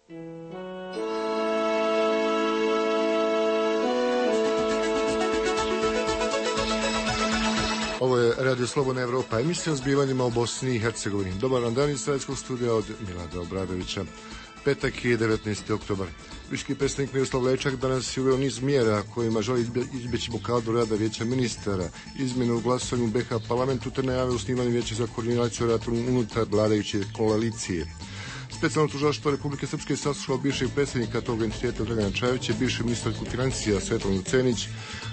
Ovo je Radio Slobodna Evropa, emisija o zbivanjima u Bosni i Hercegovini. Dobar vam dan iz Sredskog studija od Milada Obradovića. Petak je 19. oktobar. Viški predsjednik Miroslav Lajčak danas je uveo niz mjera kojima želi izbjeći blokadu rada vijeća ministara, izmjene u glasanju u BiH parlamentu te najave osnivanje vijeća za koordinaciju rada unutar vladajuće koalicije. Specijalno tužilaštvo Republike Srpske saslušalo bivšeg predsjednika tog entiteta Dragana Čajovića, bivšeg ministra financija Svetlanu Cenić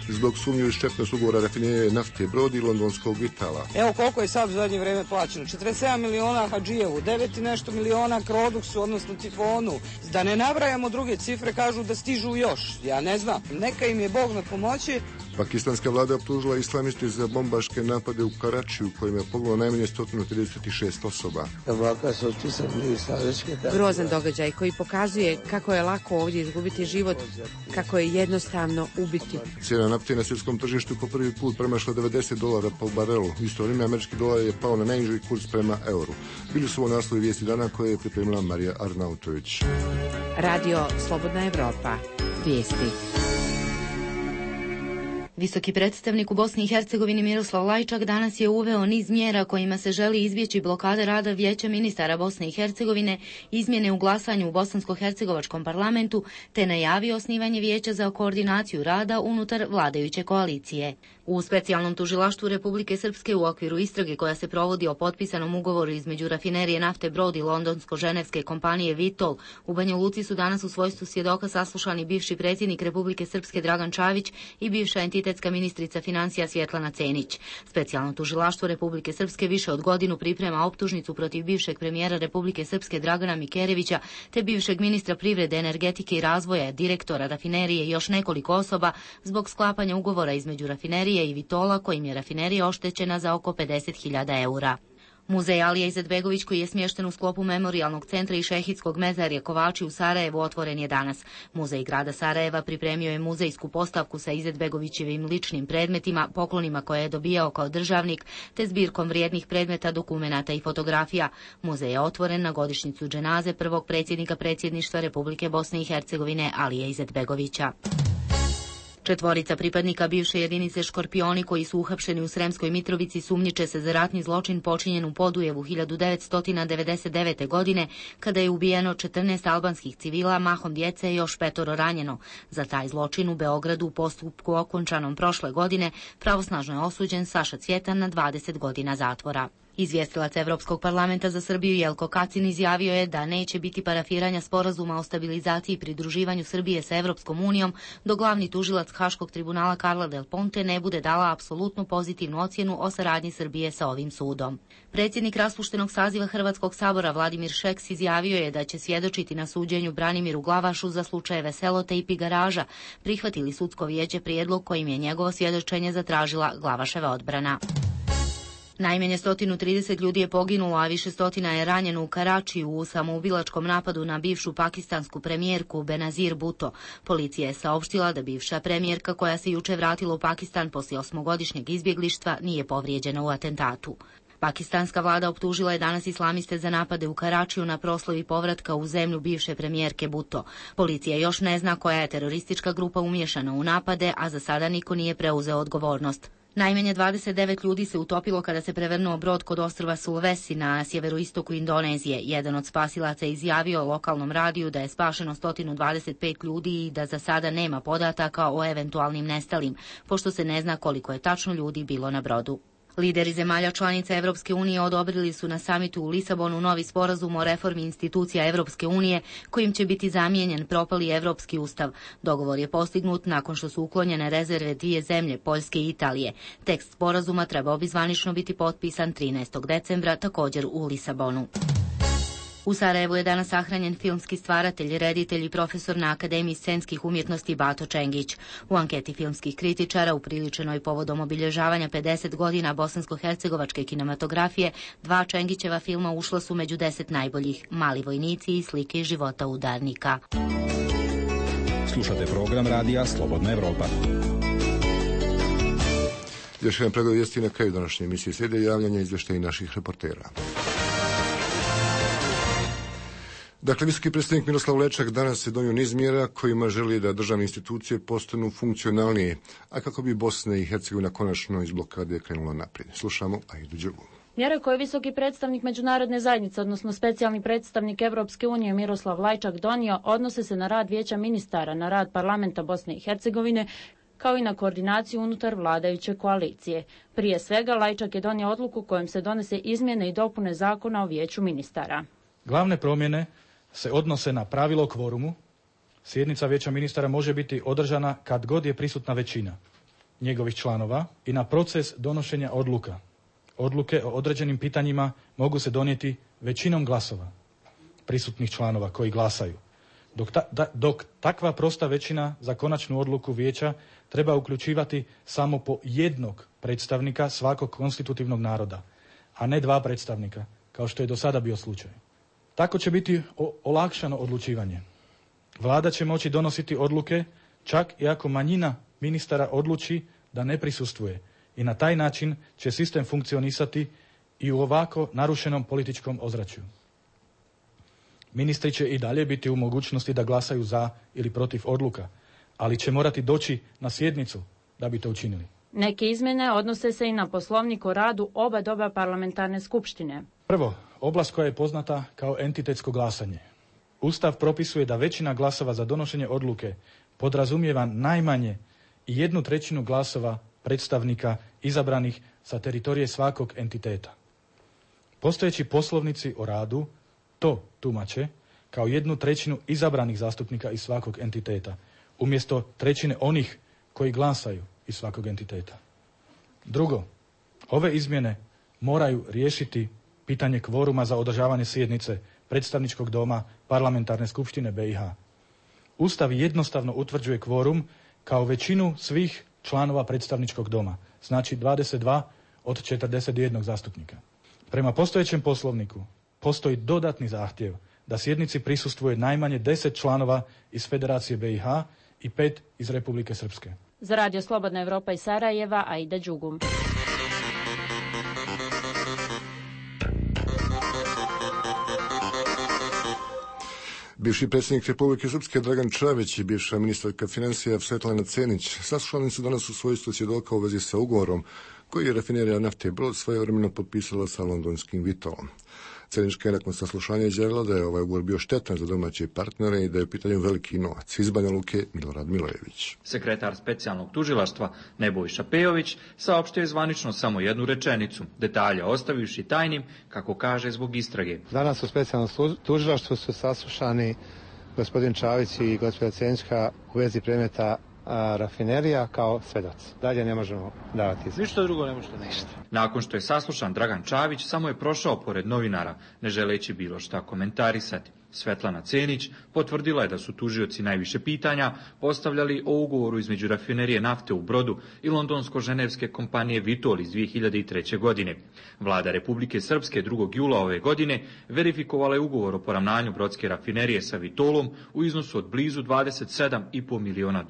zbog sumnje u štetnost ugovora rafinerije nafte Brod i londonskog Vitala. Evo koliko je sad u zadnje vrijeme plaćeno. 47 miliona Hadžijevu, 9 i nešto miliona Kroduksu, odnosno Tifonu. Da ne nabrajamo druge cifre, kažu da stižu još. Ja ne znam. Neka im je Bog na pomoći. Pakistanska vlada optužila islamiste za bombaške napade u Karačiju, kojima je poginulo najmanje 136 osoba. Grozan događaj koji pokazuje kako je lako ovdje izgubiti život, kako je jednostavno ubiti. Cijena nafte na svjetskom tržištu po prvi put premašla $90 po barelu. U isto vrijeme američki dolar je pao na najniži kurs prema euru. Bili su ovo naslovi vijesti dana koje je pripremila Marija Arnautović. Radio Slobodna Evropa. Vijesti. Visoki predstavnik u Bosni i Hercegovini Miroslav Lajčak danas je uveo niz mjera kojima se želi izbjeći blokada rada Vijeća ministara Bosne i Hercegovine, izmjene u glasanju u bosansko-hercegovačkom parlamentu, te najavio osnivanje vijeća za koordinaciju rada unutar vladajuće koalicije. U specijalnom tužilaštvu Republike Srpske u okviru istrage koja se provodi o potpisanom ugovoru između rafinerije nafte Brod i londonsko-ženevske kompanije Vitol, u Banja Luci su danas u svojstvu svjedoka saslušani bivši predsjednik Republike Srpske Dragan Čavić i bivša entitetska ministrica financija Svjetlana Cenić. Specijalno tužilaštvo Republike Srpske više od godinu priprema optužnicu protiv bivšeg premijera Republike Srpske Dragana Mikerevića te bivšeg ministra privrede, energetike i razvoja, direktora rafinerije i još nekoliko osoba zbog sklapanja ugovora između rafinerije i Vitola kojim je rafinerija oštećena za oko 50.000 eura. Muzej Alija Izetbegović, koji je smješten u sklopu Memorijalnog centra i Šehidskog mezarja Kovači u Sarajevu, otvoren je danas. Muzej grada Sarajeva pripremio je muzejsku postavku sa Izetbegovićevim ličnim predmetima, poklonima koje je dobijao kao državnik, te zbirkom vrijednih predmeta, dokumenata i fotografija. Muzej je otvoren na godišnjicu dženaze prvog predsjednika predsjedništva Republike Bosne i Hercegovine Alije Izetbegovića. 4 pripadnika bivše jedinice Škorpioni koji su uhapšeni u Sremskoj Mitrovici sumnjiče se za ratni zločin počinjen u Podujevu 1999. godine, kada je ubijeno 14 albanskih civila, mahom djece i još 5 ranjeno. Za taj zločin u Beogradu u postupku okončanom prošle godine pravosnažno je osuđen Saša Cvjetan na 20 godina zatvora. Izvjestilac Evropskog parlamenta za Srbiju Jelko Kacin izjavio je da neće biti parafiranja sporazuma o stabilizaciji i pridruživanju Srbije sa Evropskom unijom dok glavni tužilac Haškog tribunala Carla Del Ponte ne bude dala apsolutnu pozitivnu ocjenu o saradnji Srbije sa ovim sudom. Predsjednik raspuštenog saziva Hrvatskog sabora Vladimir Šeks izjavio je da će svjedočiti na suđenju Branimiru Glavašu za slučajeve Selote i Pigaraža. Prihvatili sudsko vijeće prijedlog kojim je njegovo svjedočenje zatražila Glavaševa odbrana. Najmanje 130 ljudi je poginulo, a više stotina je ranjeno u Karačiju u samoubilačkom napadu na bivšu pakistansku premijerku Benazir Bhutto. Policija je saopštila da bivša premijerka koja se juče vratila u Pakistan poslije 8-godišnjeg izbjeglištva nije povrijeđena u atentatu. Pakistanska vlada optužila je danas islamiste za napade u Karačiju na proslavi povratka u zemlju bivše premijerke Bhutto. Policija još ne zna koja je teroristička grupa umiješana u napade, a za sada niko nije preuzeo odgovornost. Najmanje 29 ljudi se utopilo kada se prevrnuo brod kod ostrva Sulawesi na sjeveroistoku Indonezije. Jedan od spasilaca je izjavio lokalnom radiju da je spašeno 125 ljudi i da za sada nema podataka o eventualnim nestalim, pošto se ne zna koliko je tačno ljudi bilo na brodu. Lideri zemalja članica Evropske unije odobrili su na samitu u Lisabonu novi sporazum o reformi institucija Evropske unije kojim će biti zamijenjen propali Evropski ustav. Dogovor je postignut nakon što su uklonjene rezerve 2 zemlje, Poljske i Italije. Tekst sporazuma trebao bi zvanično biti potpisan 13. decembra, također u Lisabonu. U Sarajevu je danas sahranjen filmski stvaratelj, reditelj i profesor na Akademiji scenskih umjetnosti Bato Čengić. U anketi filmskih kritičara upriličenoj povodom obilježavanja 50 godina bosansko-hercegovačke kinematografije, 2 Čengićeva filma ušla su među 10 najboljih: Mali vojnici i Slike iz života udarnika. Slušate program radija Slobodna Evropa. Još jedan pregled vijesti na kraju današnje emisije. Slijede javljanja izvještaja naših reportera. Dakle, visoki predstavnik Miroslav Lečak danas je donio niz mjera kojima želi da državne institucije postanu funkcionalnije, a kako bi Bosna i Hercegovina konačno iz blokade krenula naprijed. Slušamo Aidu Đurgu. Mjere koje je visoki predstavnik međunarodne zajednice, odnosno specijalni predstavnik Europske unije Miroslav Lajčak donio, odnose se na rad Vijeća ministara, na rad parlamenta Bosne i Hercegovine, kao i na koordinaciju unutar vladajuće koalicije. Prije svega, Lajčak je donio odluku kojom se donese izmjene i dopune zakona o Vijeću ministara. Glavne promjene se odnose na pravilo o kvorumu. Sjednica Vijeća ministara može biti održana kad god je prisutna većina njegovih članova i na proces donošenja odluka. Odluke o određenim pitanjima mogu se donijeti većinom glasova prisutnih članova koji glasaju. Dok takva prosta većina za konačnu odluku vijeća treba uključivati samo po jednog predstavnika svakog konstitutivnog naroda, a ne dva predstavnika, kao što je do sada bio slučaj. Tako će biti olakšano odlučivanje. Vlada će moći donositi odluke čak i ako manjina ministara odluči da ne prisustvuje i na taj način će sistem funkcionisati i u ovako narušenom političkom ozračju. Ministri će i dalje biti u mogućnosti da glasaju za ili protiv odluka, ali će morati doći na sjednicu da bi to učinili. Neke izmjene odnose se i na poslovnik o radu oba doba parlamentarne skupštine. Prvo, oblast koja je poznata kao entitetsko glasanje. Ustav propisuje da većina glasova za donošenje odluke podrazumijeva najmanje 1/3 glasova predstavnika izabranih sa teritorije svakog entiteta. Postojeći poslovnici o radu to tumače kao 1/3 izabranih zastupnika iz svakog entiteta, umjesto trećine onih koji glasaju iz svakog entiteta. Drugo, ove izmjene moraju riješiti pitanje kvoruma za održavanje sjednice predstavničkog doma Parlamentarne skupštine BiH. Ustav jednostavno utvrđuje kvorum kao većinu svih članova predstavničkog doma, znači 22 od 41 zastupnika. Prema postojećem poslovniku postoji dodatni zahtjev da sjednici prisustvuje najmanje 10 članova iz Federacije BiH i 5 iz Republike Srpske. Za Radio Slobodna Evropa iz Sarajeva, Aida Đugum. Bivši predsjednik Republike Srpske Dragan Čavić i bivša ministarka financija Svetlana Cenić saslušani su danas u svojstvu svjedoka u vezi sa ugovorom koji je rafinerija nafte Brod svojevremeno potpisala sa londonskim Vitolom. Cenička je nakon saslušanja izjavila da je ovaj ugovor bio štetan za domaće partnere i da je u pitanju veliki novac. Iz Banja Luke Milorad Milojević. Sekretar specijalnog tužilaštva Nebojša Pejović saopštio je zvanično samo jednu rečenicu, detalje ostavivši tajnim, kako kaže, zbog istrage. Danas u specijalnom tužilaštvu su saslušani gospodin Čavić i gospođa Cenička u vezi predmeta rafinerija kao svedoci. Dalje ne možemo davati izjave. Ništa drugo ne možete ništa. Nakon što je saslušan Dragan Čavić, samo je prošao pored novinara, ne želeći bilo šta komentarisati. Svetlana Cenić potvrdila je da su tužioci najviše pitanja postavljali o ugovoru između rafinerije nafte u Brodu i londonsko-ženevske kompanije Vitol iz 2003. godine. Vlada Republike Srpske 2. jula ove godine verifikovala je ugovor o poravnanju brodske rafinerije sa Vitolom u iznosu od blizu $27,5 miliona.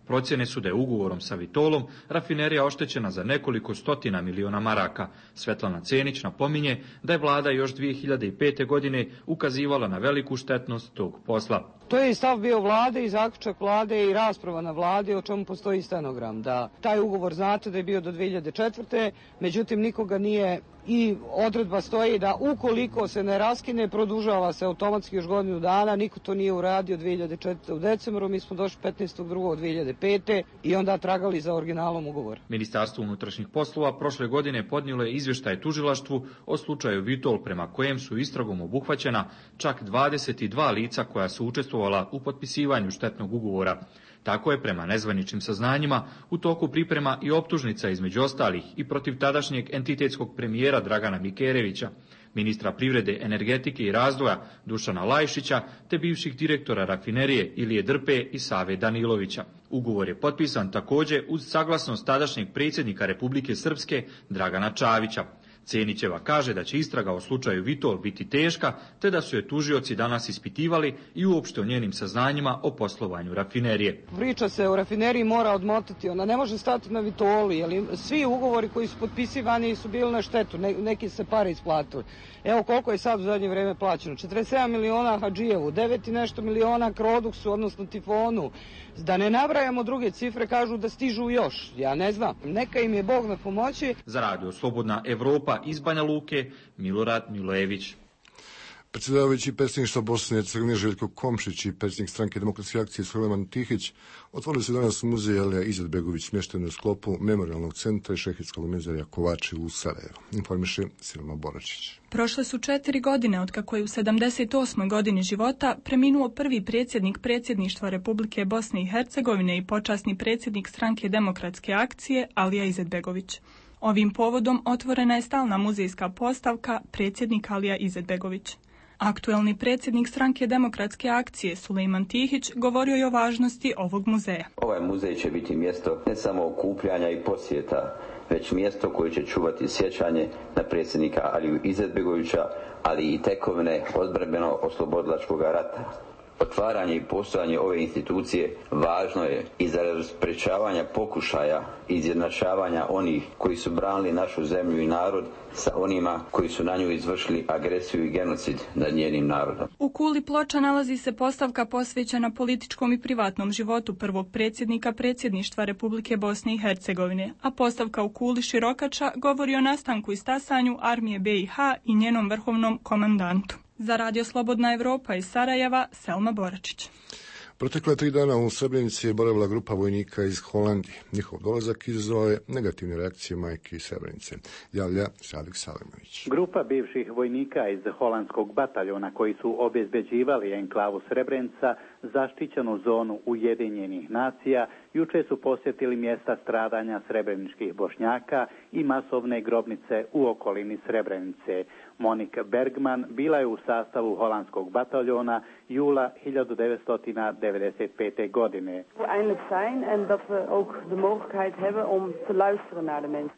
Procjene su da je ugovorom sa Vitolom rafinerija oštećena za nekoliko stotina miliona maraka. Svetlana Cenić napominje da je vlada još 2005. godine ukazivala na veliku štetnost tog posla. To je i stav bio vlade i zaključak vlade i rasprava na vladi, o čemu postoji stenogram. Da taj ugovor, znate, da je bio do 2004. Međutim, nikoga nije, i odredba stoji da ukoliko se ne raskine, produžava se automatski još godinu dana. Niko to nije uradio 2004. u decembru, mi smo došli 15.2.2005. i onda tragali za originalom ugovor. Ministarstvo unutrašnjih poslova prošle godine podnijelo je izvještaj tužilaštvu o slučaju Vitol, prema kojem su istragom obuhvaćena čak 22 lica koja su učestvovala u potpisivanju štetnog ugovora. Tako je, prema nezvaničnim saznanjima, u toku priprema i optužnica između ostalih i protiv tadašnjeg entitetskog premijera Dragana Mikerevića, ministra privrede, energetike i razvoja Dušana Lajšića, te bivših direktora rafinerije Ilije Drpe i Save Danilovića. Ugovor je potpisan također uz saglasnost tadašnjeg predsjednika Republike Srpske Dragana Čavića. Cenićeva kaže da će istraga o slučaju Vitol biti teška, te da su je tužioci danas ispitivali i uopšte o njenim saznanjima o poslovanju rafinerije. Priča se o rafineriji mora odmotati, ona ne može stati na Vitoli, jer svi ugovori koji su potpisivani su bili na štetu, neki se pare isplatili. Evo koliko je sad u zadnje vrijeme plaćeno, 47 miliona Hadžijevu, 9 i nešto miliona Kroduksu, odnosno Tifonu, da ne nabrajamo druge cifre, kažu da stižu još, ja ne znam, neka im je Bog na pomoći. Za Radio Slobodna Evropa iz Banja Luke, Milorad Milojević. Predsjedavajući predsjedništva Bosne i Hercegovine Željko Komšić i predsjednik Stranke demokratske akcije Sulejman Tihić otvorili su danas muzej Alija Izetbegović smješten u sklopu Memorijalnog centra i Šehidskog muzejja Kovači u Sarajevu. Informiše Silma Boračić. Prošle su 4 godine otkako je u 78. godini života preminuo prvi predsjednik predsjedništva Republike Bosne i Hercegovine i počasni predsjednik Stranke demokratske akcije Alija Izetbegović. Ovim povodom otvorena je stalna muzejska postavka predsjednik Alija Izetbegović. Aktuelni predsjednik Stranke demokratske akcije Sulejman Tihić govorio je o važnosti ovog muzeja. Ovaj muzej će biti mjesto ne samo okupljanja i posjeta, već mjesto koje će čuvati sjećanje na predsjednika Aliju Izetbegovića, ali i tekovine odbrambeno-oslobodilačkog rata. Otvaranje i postojanje ove institucije važno je i za sprečavanja pokušaja i izjednačavanja onih koji su branili našu zemlju i narod sa onima koji su na nju izvršili agresiju i genocid nad njenim narodom. U kuli Ploča nalazi se postavka posvećena političkom i privatnom životu prvog predsjednika predsjedništva Republike Bosne i Hercegovine, a postavka u kuli Širokača govori o nastanku i stasanju armije BiH i njenom vrhovnom komandantu. Za Radio Slobodna Evropa iz Sarajeva, Selma Boračić. Protekle 3 dana u Srebrenici je boravila grupa vojnika iz Holandije. Njihov dolazak izazvao je negativne reakcije majke iz Srebrenice. Javlja Sadik Salimović. Grupa bivših vojnika iz holandskog bataljona koji su obezbeđivali enklavu Srebrenica, zaštićenu zonu Ujedinjenih nacija, juče su posjetili mjesta stradanja srebreničkih Bošnjaka i masovne grobnice u okolini Srebrenice. Monika Bergman bila je u sastavu holandskog bataljona jula 1995. godine.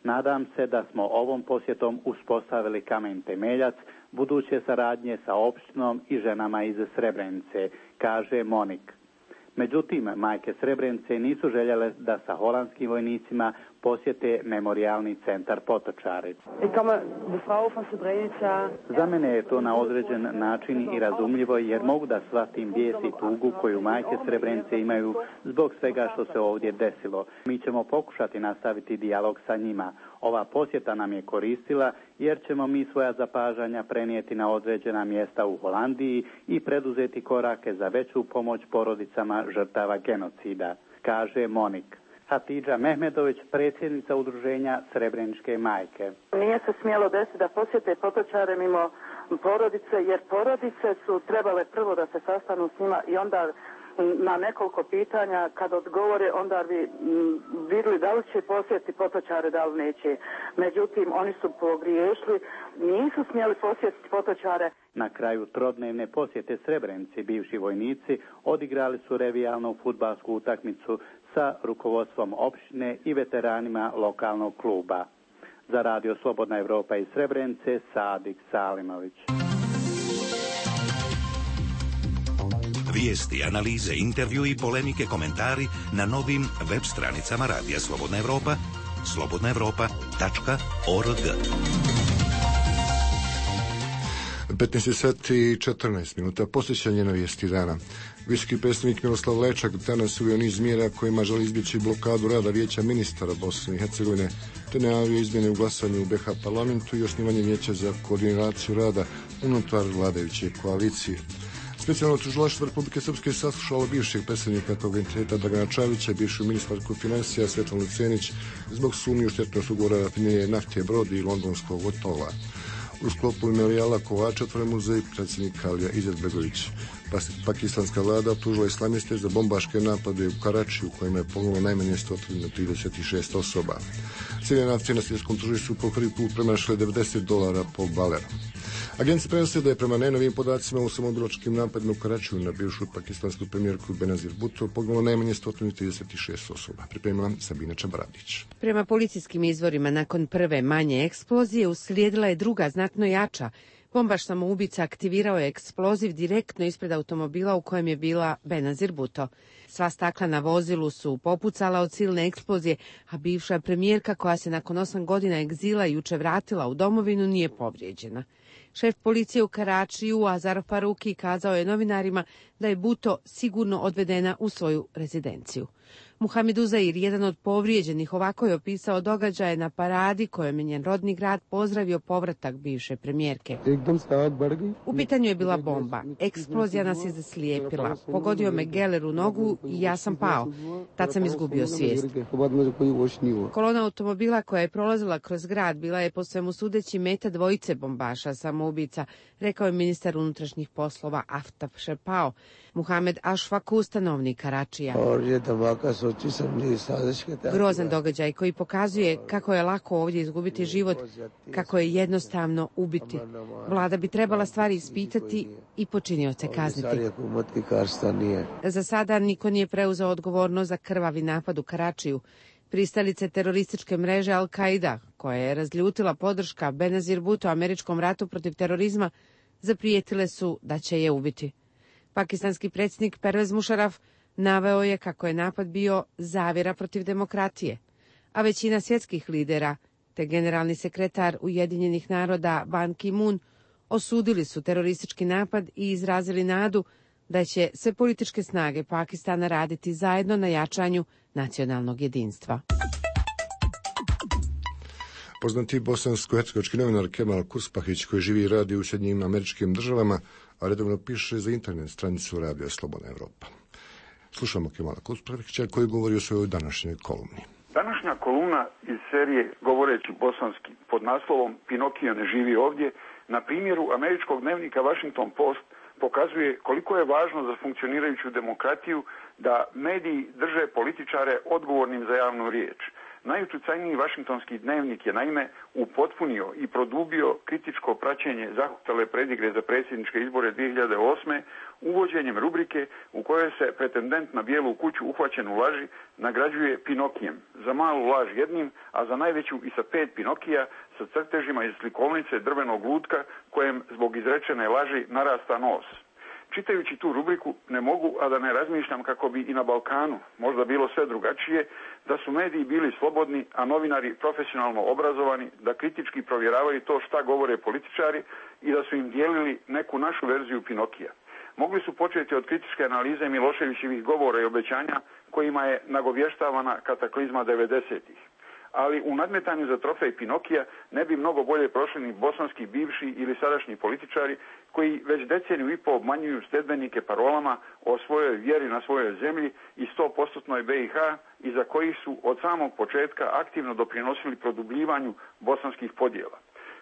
Nadam se da smo ovom posjetom uspostavili kamen temeljac buduće saradnje sa opštinom i ženama iz Srebrenice, kaže Monik. Međutim, majke Srebrenice nisu željele da sa holandskim vojnicima posjete memorijalni centar Potočari. Za mene je to na određen način i razumljivo, jer mogu da shvatim bijes i tugu koju majke Srebrenice imaju zbog svega što se ovdje desilo. Mi ćemo pokušati nastaviti dijalog sa njima. Ova posjeta nam je koristila jer ćemo mi svoja zapažanja prenijeti na određena mjesta u Holandiji i preduzeti korake za veću pomoć porodicama žrtava genocida, kaže Monik. Hatidža Mehmedović, predsjednica udruženja Srebreničke majke. Nije se smjelo desiti da posjete Potočare mimo porodice, jer porodice su trebale prvo da se sastanu s njima i onda na nekoliko pitanja kad odgovore onda bi vidjeli da li će posjetiti Potočare, da li neće. Međutim, oni su pogriješili, nisu smjeli posjetiti Potočare. Na kraju trodnevne posjete Srebrenici bivši vojnici odigrali su revijalnu fudbalsku utakmicu sa rukovodstvom opštine i veteranima lokalnog kluba. Za Radio Slobodna Evropa iz Srebrenice, Sadik Salimović. Vijesti, analize, intervju i polemike, komentari na novim web stranicama Radija Slobodna Evropa, slobodnaevropa.org. 15 sati i 14 minuta. Posjećanje na vijesti dana. Visoki predstavnik Miroslav Lajčak danas uveo niz mjera kojima želi izbjeći blokadu rada Vijeća ministara Bosne i Hercegovine, te najavio izmjene u glasanju u BiH parlamentu i osnivanje vijeća za koordinaciju rada unutar vladajuće koalicije. Specijalno tužilaštvo Republike Srpske saslušalo bivšeg predsjednika tog entiteta Dragana Čavića, bivšu ministarku financija Svetlanu Cenić zbog sumnje u štetnost ugovora rafinerije nafte Brod i londonskog hotela. U sklopu memorijala Kovača otvoren muzej predsjednika Alija Izetbegović. Pakistanska vlada optužila islamiste za bombaške napade u Karačiju u kojima je poginulo najmanje 136 osoba. Cijene nafte na svjetskom tržištu po prvi put premašile $90 po baleru. Agencija prenosi da je prema najnovijim podacima u samobilačkim napadima u Karačiju na bivšu pakistansku premijerku Benazir Bhutto poginulo najmanje 136 osoba. Pripremila Sabina Čabaradić. Prema policijskim izvorima, nakon prve manje eksplozije uslijedila je druga, znatno jača. Bombaš samoubica aktivirao je eksploziv direktno ispred automobila u kojem je bila Benazir Bhutto. Sva stakla na vozilu su popucala od silne eksplozije, a bivša premijerka koja se nakon 8 godina egzila juče vratila u domovinu nije povrijeđena. Šef policije u Karačiju, Azar Faruki, kazao je novinarima da je Bhutto sigurno odvedena u svoju rezidenciju. Muhamed Uzair, jedan od povrijeđenih, ovako je opisao događaje na paradi kojom je njen rodni grad pozdravio povratak bivše premijerke. U pitanju je bila bomba. Eksplozija nas je zaslijepila. Pogodio me geler u nogu i ja sam pao. Tad sam izgubio svijest. Kolona automobila koja je prolazila kroz grad bila je po svemu sudeći meta dvojice bombaša samoubica, rekao je ministar unutrašnjih poslova Aftab Šepao. Muhamed Ašfaku, stanovnik Karačija. Grozan događaj koji pokazuje kako je lako ovdje izgubiti život, kako je jednostavno ubiti. Vlada bi trebala stvari ispitati i počinioce kazniti. Za sada niko nije preuzeo odgovornost za krvavi napad u Karačiju. Pristalice terorističke mreže Al-Qaida, koja je razljutila podrška Benazir Bhutto američkom ratu protiv terorizma, zaprijetile su da će je ubiti. Pakistanski predsjednik Pervez Musharraf naveo je kako je napad bio zavjera protiv demokratije, a većina svjetskih lidera te generalni sekretar Ujedinjenih naroda Ban Ki-moon osudili su teroristički napad i izrazili nadu da će sve političke snage Pakistana raditi zajedno na jačanju nacionalnog jedinstva. Poznati bosansko-hercegovački novinar Kemal Kurspahić, koji živi i radi u Sjedinjenim Američkim Državama, a redovno piše za internet stranicu Radija Slobodna Evropa. Slušamo Kemala Kurspahića koji govori o svojoj današnjoj kolumni. Današnja kolumna iz serije Govoreći bosanski pod naslovom Pinokio ne živi ovdje na primjeru američkog dnevnika Washington Post pokazuje koliko je važno za funkcionirajuću demokratiju da mediji drže političare odgovornim za javnu riječ. Najuticajniji Washingtonski dnevnik je naime upotpunio i produbio kritičko praćenje zahuktale predigre za predsjedničke izbore 2008. uvođenjem rubrike u kojoj se pretendent na bijelu kuću uhvaćen u laži nagrađuje Pinokijem, za malu laž jednim, a za najveću i sa 5 Pinokija sa crtežima iz slikovnice drvenog lutka kojem zbog izrečene laži narasta nos. Čitajući tu rubriku ne mogu, a da ne razmišljam kako bi i na Balkanu možda bilo sve drugačije, da su mediji bili slobodni, a novinari profesionalno obrazovani, da kritički provjeravaju to šta govore političari i da su im dijelili neku našu verziju Pinokija. Mogli su početi od kritičke analize Miloševićevih govora i obećanja kojima je nagovještavana kataklizma 90-ih. Ali u nadmetanju za trofej Pinokija ne bi mnogo bolje prošli ni bosanski bivši ili sadašnji političari koji već deceniju i pol obmanjuju sledbenike parolama o svojoj vjeri na svojoj zemlji i 100% BiH i za kojih su od samog početka aktivno doprinosili produbljivanju bosanskih podjela.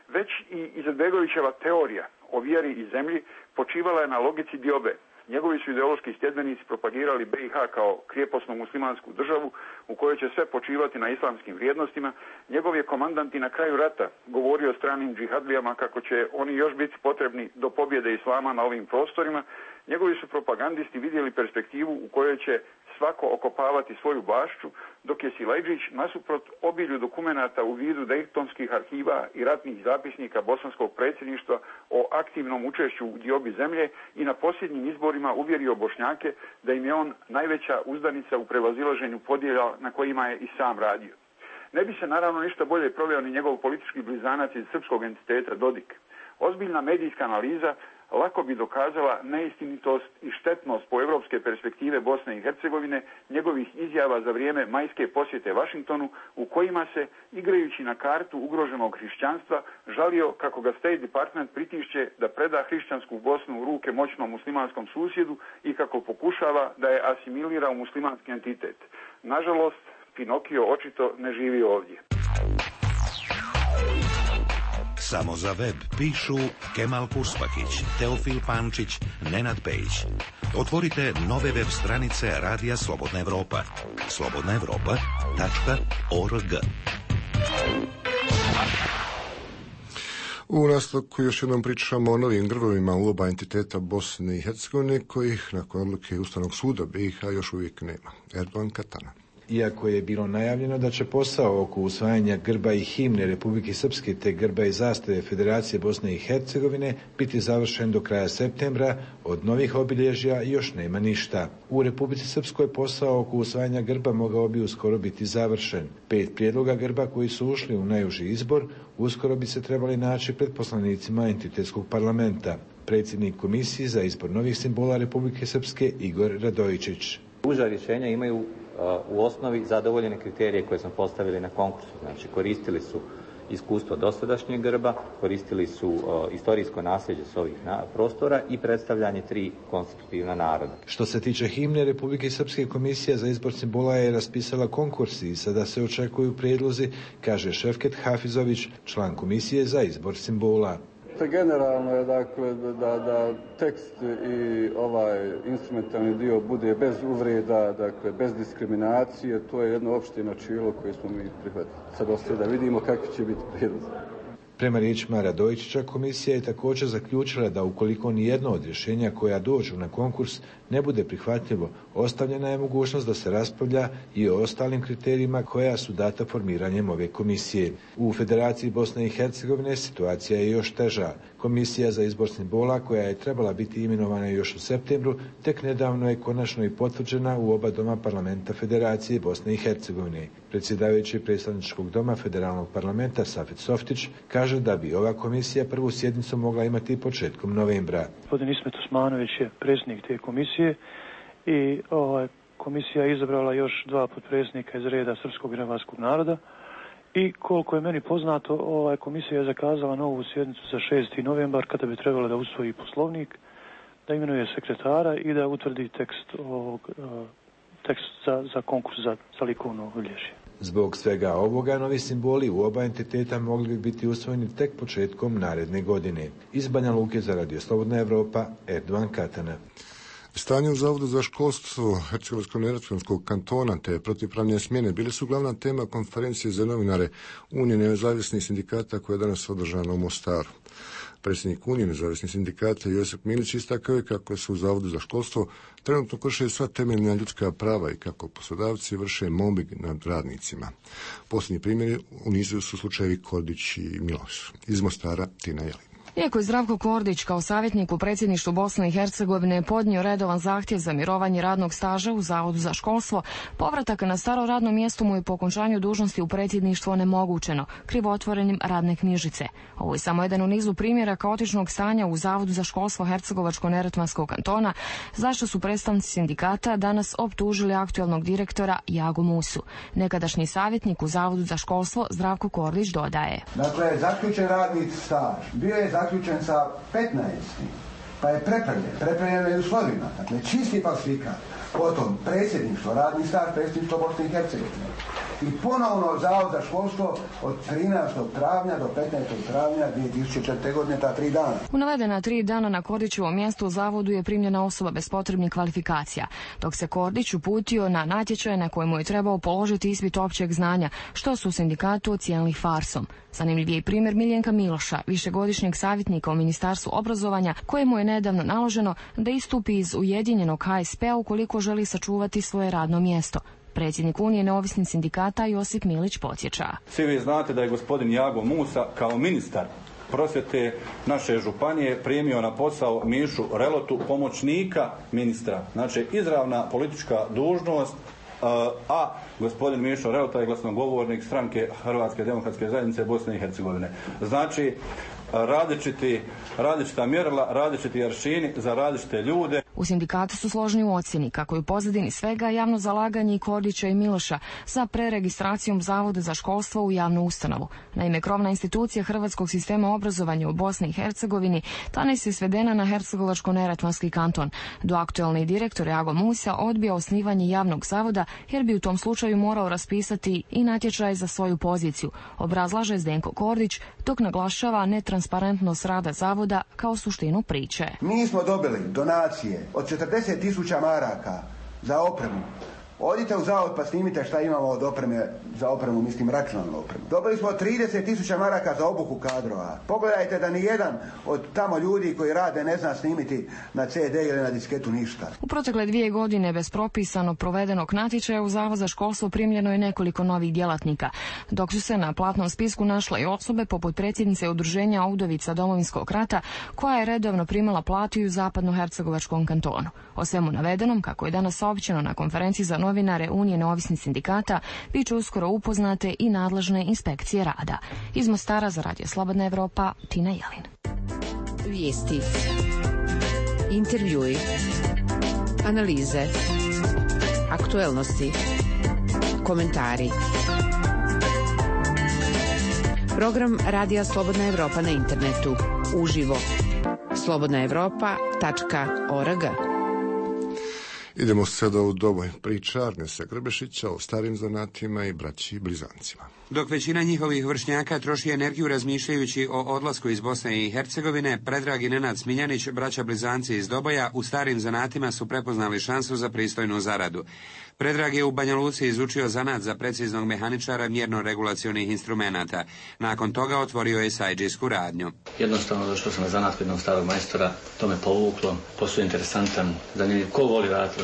Već i Izetbegovićeva teorija o vjeri i zemlji počivala je na logici diobe. Njegovi su ideološki sljedbenici propagirali BiH kao krijeposnu muslimansku državu u kojoj će sve počivati na islamskim vrijednostima. Njegov je komandant i na kraju rata govorio stranim džihadlijama kako će oni još biti potrebni do pobjede islama na ovim prostorima. Njegovi su propagandisti vidjeli perspektivu u kojoj će svako okopavati svoju bašću, dok je Silajđić nasuprot obilju dokumenata u vidu dejtonskih arhiva i ratnih zapisnika bosanskog predsjedništva o aktivnom učešću u diobi zemlje i na posljednjim izborima uvjerio Bošnjake da im je on najveća uzdanica u prevazilaženju podjela na kojima je i sam radio. Ne bi se naravno ništa bolje proveo ni njegov politički blizanac iz srpskog entiteta Dodik. Ozbiljna medijska analiza lako bi dokazala neistinitost i štetnost po evropske perspektive Bosne i Hercegovine njegovih izjava za vrijeme majske posjete Washingtonu u kojima se, igrajući na kartu ugroženog hrišćanstva, žalio kako ga State Department pritišće da preda hrišćansku Bosnu u ruke moćnom muslimanskom susjedu i kako pokušava da je asimilira u muslimanski entitet. Nažalost, Pinokio očito ne živi ovdje. Samo za web pišu Kemal Kurspahić, Teofil Pančić, Nenad Pejić. Otvorite nove web stranice Radija Slobodna Evropa. slobodnaevropa.org. U nastavku još jednom pričamo o novim grbovima u oba entiteta Bosne i Hercegovine, kojih nakon odluke Ustavnog suda BiH još uvijek nema. Erdogan Katana. Iako je bilo najavljeno da će posao oko usvajanja grba i himne Republike Srpske te grba i zastave Federacije Bosne i Hercegovine biti završen do kraja septembra, od novih obilježja još nema ništa. U Republici Srpskoj posao oko usvajanja grba mogao bi uskoro biti završen. 5 prijedloga grba koji su ušli u najuži izbor uskoro bi se trebali naći pred poslanicima entitetskog parlamenta. Predsjednik Komisije za izbor novih simbola Republike Srpske Igor Radojičić. Uža rješenja imaju u osnovi zadovoljene kriterije koje smo postavili na konkursu. Znači, koristili su iskustvo dosadašnjeg grba, koristili su istorijsko nasljeđe s ovih prostora i predstavljanje 3 konstitutivna naroda. Što se tiče himne Republike Srpske, Komisija za izbor simbola je raspisala konkurs i sada se očekuju prijedlozi, kaže Šefket Hafizović, član Komisije za izbor simbola. Generalno je dakle da tekst i ovaj instrumentalni dio bude bez uvreda, dakle bez diskriminacije, to je jedno opšte načelo koje smo mi prihvatili. Sad ostaje da vidimo kakvi će biti prijedlozi. Prema riječima Radojičića, komisija je također zaključila da ukoliko nijedno od rješenja koja dođu na konkurs ne bude prihvatljivo, ostavljena je mogućnost da se raspravlja i o ostalim kriterijima koja su data formiranjem ove komisije. U Federaciji Bosne i Hercegovine situacija je još teža. Komisija za izbor simbola, koja je trebala biti imenovana još u septembru, tek nedavno je konačno i potvrđena u oba doma parlamenta Federacije Bosne i Hercegovine. Predsjedavajući predstavničkog doma Federalnog parlamenta Safet Softić kaže da bi ova komisija prvu sjednicu mogla imati početkom novembra. Gospodin Ismet Osmanović je predsjednik te komisije i komisija je izabrala još 2 potpredsjednika iz reda srpskog i hrvatskog naroda i koliko je meni poznato, komisija je zakazala novu sjednicu za 6. novembar kada bi trebala da usvoji poslovnik, da imenuje sekretara i da utvrdi tekst za konkurs za likovno obilježje. Zbog svega ovoga, novi simboli u oba entiteta mogli bi biti usvojeni tek početkom naredne godine. Iz Banja Luke za Radio Slobodna Evropa, Erdogan Katana. Stanje u Zavodu za školstvo Hercegovačko-neretvanskog kantona te protivpravne smjene bile su glavna tema konferencije za novinare Unije nezavisnih sindikata koja je danas održana u Mostaru. Predsjednik Unije nezavisnih sindikata Josip Milić istakao je kako se u Zavodu za školstvo trenutno krše sva temeljna ljudska prava i kako poslodavci vrše mobbing nad radnicima. Posljednji primjeri u nizu su slučajevi Kordić i Miloš. Iz Mostara Tina Jelin. Iako je Zdravko Kordić kao savjetnik u predsjedništvu Bosne i Hercegovine podnio redovan zahtjev za mirovanje radnog staža u Zavodu za školstvo, povratak na staro radno mjesto mu je po okončanju dužnosti u predsjedništvu onemogućeno krivotvorenim radne knjižice. Ovo je samo jedan u nizu primjera kaotičnog stanja u Zavodu za školstvo Hercegovačko-neretvanskog kantona, zašto su predstavnici sindikata danas optužili aktualnog direktora Jagu Musu. Nekadašnji savjetnik u Zavodu za školstvo Zdravko Kordić dodaje. Dakle, zaključen radni staž bio je zaključen sa 15. pa je prepravljen i u slovima. Dakle, čisti falsifikat. Potom predsjedništvo, radni staž predsjedništva Bosne i Hercegovine. I ponovno Zavod za školstvo od 13. travnja do 15. travnja 2004. godine, ta 3 dana. U navedena 3 dana na Kordićevom mjestu u Zavodu je primljena osoba bez potrebnih kvalifikacija, dok se Kordić uputio na natječaj na kojemu je trebao položiti ispit općeg znanja, što su u sindikatu ocijenili farsom. Zanimljiv je i primjer Miljenka Miloša, višegodišnjeg savjetnika u Ministarstvu obrazovanja, kojemu je nedavno naloženo da istupi iz ujedinjenog HSP-a ukoliko želi sačuvati svoje radno mjesto. Predsjednik Unije neovisnih sindikata Josip Milić podsjeća. Svi vi znate da je gospodin Jago Musa kao ministar prosvjete naše županije primio na posao Mišu Relotu, pomoćnika ministra. Znači, izravna politička dužnost, a gospodin Mišo Relota je glasnogovornik stranke Hrvatske demokratske zajednice Bosne i Hercegovine. Znači, različita mjerila, različiti aršini za različite ljude. U sindikatu su složni u ocjeni kako je u pozadini svega javno zalaganje i Kordića i Miloša za preregistracijom Zavoda za školstvo u javnu ustanovu. Naime, krovna institucija hrvatskog sistema obrazovanja u Bosni i Hercegovini danas je svedena na Hercegovačko-neretvanski kanton. Do aktualni direktor Jago Musa odbija osnivanje javnog zavoda jer bi u tom slučaju morao raspisati i natječaj za svoju poziciju, obrazlaže Zdenko Kordić, dok naglašava netransparentnost rada zavoda kao suštinu priče. Mi smo dobili donacije od 40.000 maraka za opremu Odite u zavod pa snimite šta imamo od opreme, za opremu, mislim računalnu opremu. Dobili smo 30.000 maraka za obuku kadrova. Pogledajte da ni jedan od tamo ljudi koji rade ne zna snimiti na CD ili na disketu ništa. U protekle 2 godine bez propisano provedenog natječaja u Zavod za školstvo primljeno je nekoliko novih djelatnika, dok su se na platnom spisku našle i osobe poput predsjednice udruženja Udovica Domovinskog rata, koja je redovno primala platu i u zapadnohercegovačkom kantonu. O svemu navedenom, kako je danas saopćeno na konferenciji za novinare Unije neovisnih sindikata, bit će uskoro upoznate i nadležne inspekcije rada. Iz Mostara za Radio Slobodna Evropa, Tina Jelin. Vijesti, intervjui, analize, aktuelnosti, komentari. Program Radija Slobodna Evropa na internetu. Uživo. slobodnaevropa.org. Idemo sada u dobu priča Arnesa Grbešića o starim zanatima i braći blizancima. Dok većina njihovih vršnjaka troši energiju razmišljajući o odlasku iz Bosne i Hercegovine, Predrag i Nenad Smiljanić, braća blizanci iz Doboja, u starim zanatima su prepoznali šansu za pristojnu zaradu. Predrag je u Banja Luci izučio zanat za preciznog mehaničara mjerno-regulacionih instrumenata. Nakon toga otvorio je sajđijsku radnju. Jednostavno došao sam na zanat kod jednog starog majstora, to me povuklo, posao je interesantan, zanimljiv, ko voli raditi,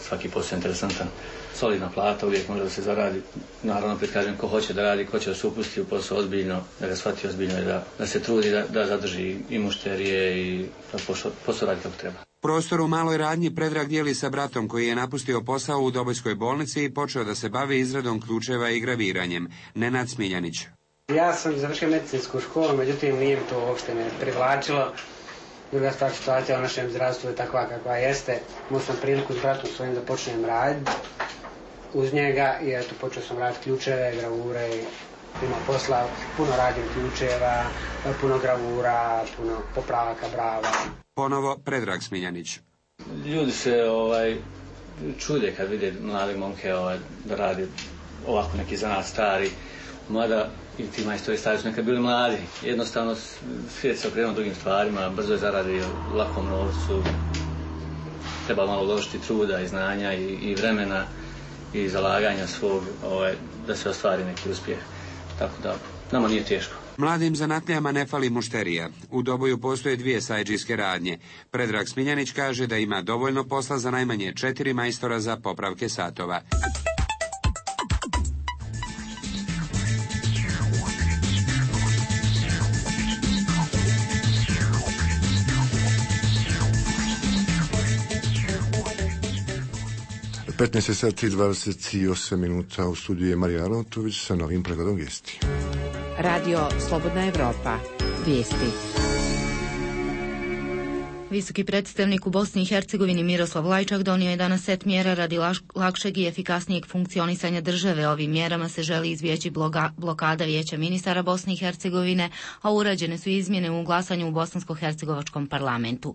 svaki posao je interesantan. Solidna plata, uvijek može da se zaradi. Naravno, prikažem ko hoće da radi, ko će da se upusti u posao ozbiljno, da ga shvati ozbiljno i da se trudi da zadrži i mušterije i da posao radi kako treba. Prostor u maloj radnji Predrag dijeli sa bratom koji je napustio posao u Dobojskoj bolnici i počeo da se bavi izradom ključeva i graviranjem. Nenad Smiljanić. Ja sam završio medicinsku školu, međutim nije mi to uopšte ne privlačilo. Druga stvar, situacija u našem zdravstvu je takva kakva jeste. Imao sam priliku s bratom svojim da počnem raditi uz njega i eto počeo sam raditi ključeve, gravure, ima posla, puno radim ključeva, puno gravura, puno popravaka brava. Ponovo Predrag Smiljanić. Ljudi se čude kad vide mlade momke da rade ovako neki zanat stari, mada i ti majstori stari su nekad bili mladi. Jednostavno svijet se okrenuo drugim stvarima, brzo je zaradi u lakom novcu, treba malo uložiti truda i znanja i vremena i zalaganja svog da se ostvari neki uspjeh. Tako da nama nije teško. Mladim zanatlijama ne fali mušterija. U Doboju postoje 2 sajđijske radnje. Predrag Smiljanić kaže da ima dovoljno posla za najmanje 4 majstora za popravke satova. U 15:28 minuta u studiju je Marija Arnautović sa novim pregledom vijesti. Radio Slobodna Evropa. Vijesti. Visoki predstavnik u Bosni i Hercegovini Miroslav Lajčak donio je danas set mjera radi lakšeg i efikasnijeg funkcionisanja države. Ovim mjerama se želi izbjeći blokada Vijeća ministara Bosne i Hercegovine, a urađene su izmjene u glasanju u Bosansko-hercegovačkom parlamentu.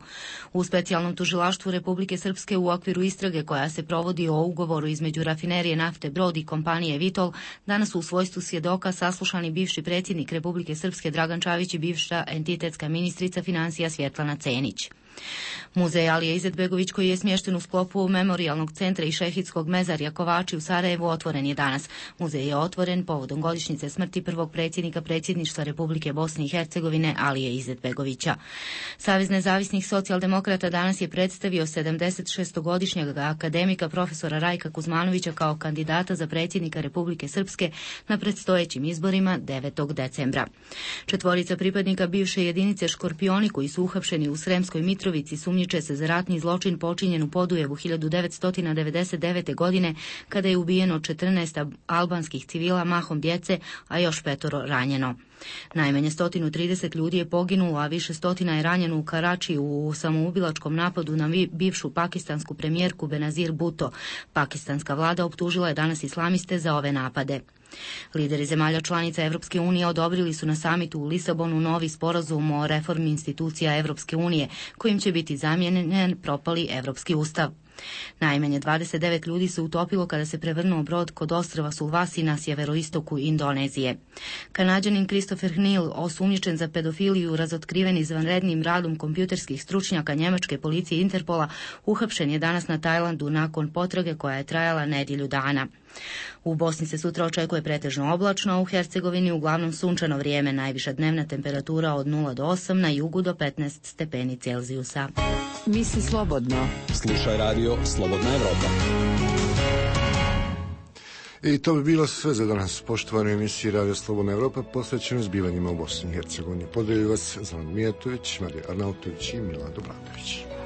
U specijalnom tužilaštvu Republike Srpske u okviru istrage koja se provodi o ugovoru između rafinerije nafte Brod i kompanije Vitol, danas u svojstvu svjedoka saslušani bivši predsjednik Republike Srpske Dragan Čavić i bivša entitetska ministrica financija Svjetlana Cenić. Muzej Alije Izetbegović, koji je smješten u sklopu Memorijalnog centra i Šehidskog mezarja Kovači u Sarajevu, otvoren je danas. Muzej je otvoren povodom godišnjice smrti prvog predsjednika predsjedništva Republike Bosne i Hercegovine Alije Izetbegovića. Savez nezavisnih socijaldemokrata danas je predstavio 76-godišnjeg akademika profesora Rajka Kuzmanovića kao kandidata za predsjednika Republike Srpske na predstojećim izborima 9. decembra. 4 pripadnika bivše jedinice Škorpioni koji su uhapšeni u Sremskoj Mitrovici sumnjiče se za ratni zločin počinjen u Podujevu 1999. godine kada je ubijeno 14 albanskih civila, mahom djece, a još 5 ranjeno. Najmanje 130 ljudi je poginulo, a više stotina je ranjeno u Karačiju u samoubilačkom napadu na bivšu pakistansku premijerku Benazir Bhutto. Pakistanska vlada optužila je danas islamiste za ove napade. Lideri zemalja članica Evropske unije odobrili su na samitu u Lisabonu novi sporazum o reformi institucija Evropske unije, kojim će biti zamijenjen propali Evropski ustav. Najmanje 29 ljudi se utopilo kada se prevrnuo brod kod ostrva Sulvasi na sjeveroistoku Indonezije. Kanađanin Christopher Hnil, osumnjičen za pedofiliju, razotkriven izvanrednim radom kompjuterskih stručnjaka njemačke policije Interpola, uhapšen je danas na Tajlandu nakon potrage koja je trajala nedjelju dana. U Bosni se sutra očekuje pretežno oblačno, a u Hercegovini uglavnom sunčano vrijeme, najviša dnevna temperatura od 0 do 8, na jugu do 15 stepeni Celzijusa. Misli slobodno. Slušaj radio Slobodna Evropa. I to bi bilo sve za danas. Poštovane emisije Radio Slobodna Evropa posvećeno zbivanjima u Bosni i Hercegovini. Pozdravljaju vas Zoran Mijatović, Marija Arnautović i Milado Bradović.